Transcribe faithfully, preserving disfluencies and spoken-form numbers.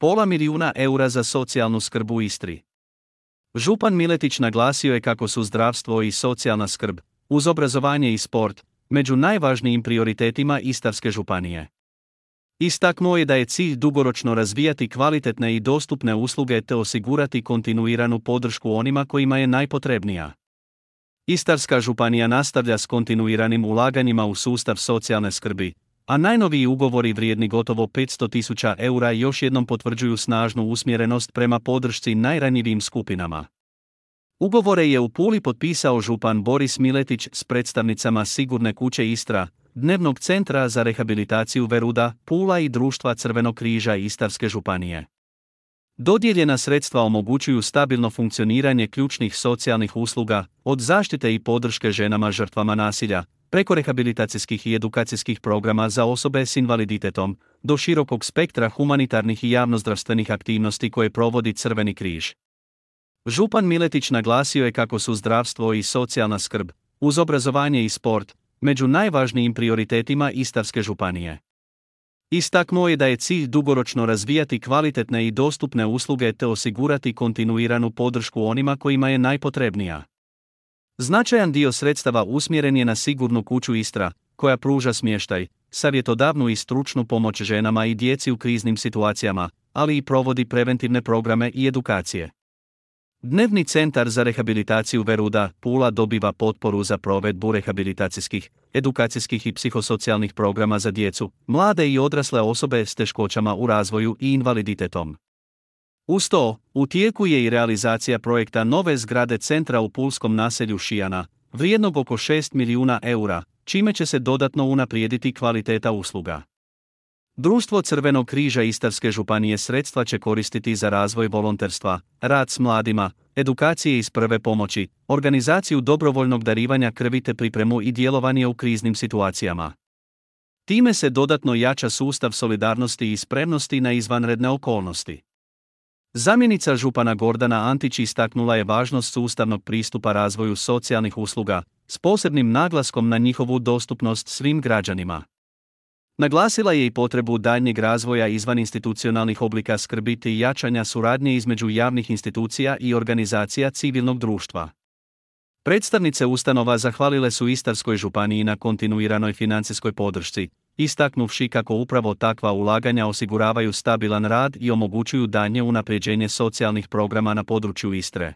pola milijuna eura za socijalnu skrb u Istri. Župan Miletić naglasio je kako su zdravstvo i socijalna skrb, uz obrazovanje i sport, među najvažnijim prioritetima Istarske županije. Istaknuo je da je cilj dugoročno razvijati kvalitetne i dostupne usluge te osigurati kontinuiranu podršku onima kojima je najpotrebnija. Istarska županija nastavlja s kontinuiranim ulaganjima u sustav socijalne skrbi, a najnoviji ugovori vrijedni gotovo petsto tisuća eura još jednom potvrđuju snažnu usmjerenost prema podršci najranjivijim skupinama. Ugovore je u Puli potpisao župan Boris Miletić s predstavnicama Sigurne kuće Istra, Dnevnog centra za rehabilitaciju Veruda, Pula i Društva Crvenog križa Istarske županije. Dodijeljena sredstva omogućuju stabilno funkcioniranje ključnih socijalnih usluga, od zaštite i podrške ženama žrtvama nasilja, preko rehabilitacijskih i edukacijskih programa za osobe s invaliditetom, do širokog spektra humanitarnih i javnozdravstvenih aktivnosti koje provodi Crveni križ. Župan Miletić naglasio je kako su zdravstvo i socijalna skrb, uz obrazovanje i sport, među najvažnijim prioritetima Istarske županije. Istaknuo je da je cilj dugoročno razvijati kvalitetne i dostupne usluge te osigurati kontinuiranu podršku onima kojima je najpotrebnija. Značajan dio sredstava usmjeren je na Sigurnu kuću Istra, koja pruža smještaj, savjetodavnu i stručnu pomoć ženama i djeci u kriznim situacijama, ali i provodi preventivne programe i edukacije. Dnevni centar za rehabilitaciju Veruda, Pula dobiva potporu za provedbu rehabilitacijskih, edukacijskih i psihosocijalnih programa za djecu, mlade i odrasle osobe s teškoćama u razvoju i invaliditetom. Uz to, u tijeku je i realizacija projekta nove zgrade centra u pulskom naselju Šijana, vrijednog oko šest milijuna eura, čime će se dodatno unaprijediti kvaliteta usluga. Društvo Crvenog križa Istarske županije sredstva će koristiti za razvoj volonterstva, rad s mladima, edukacije iz prve pomoći, organizaciju dobrovoljnog darivanja krvi te pripremu i djelovanje u kriznim situacijama. Time se dodatno jača sustav solidarnosti i spremnosti na izvanredne okolnosti. Zamjenica župana Gordana Antić istaknula je važnost sustavnog pristupa razvoju socijalnih usluga, s posebnim naglaskom na njihovu dostupnost svim građanima. Naglasila je i potrebu daljnjeg razvoja izvaninstitucionalnih oblika skrbi te jačanja suradnje između javnih institucija i organizacija civilnog društva. Predstavnice ustanova zahvalile su Istarskoj županiji na kontinuiranoj financijskoj podršci, istaknuvši kako upravo takva ulaganja osiguravaju stabilan rad i omogućuju daljnje unapređenje socijalnih programa na području Istre.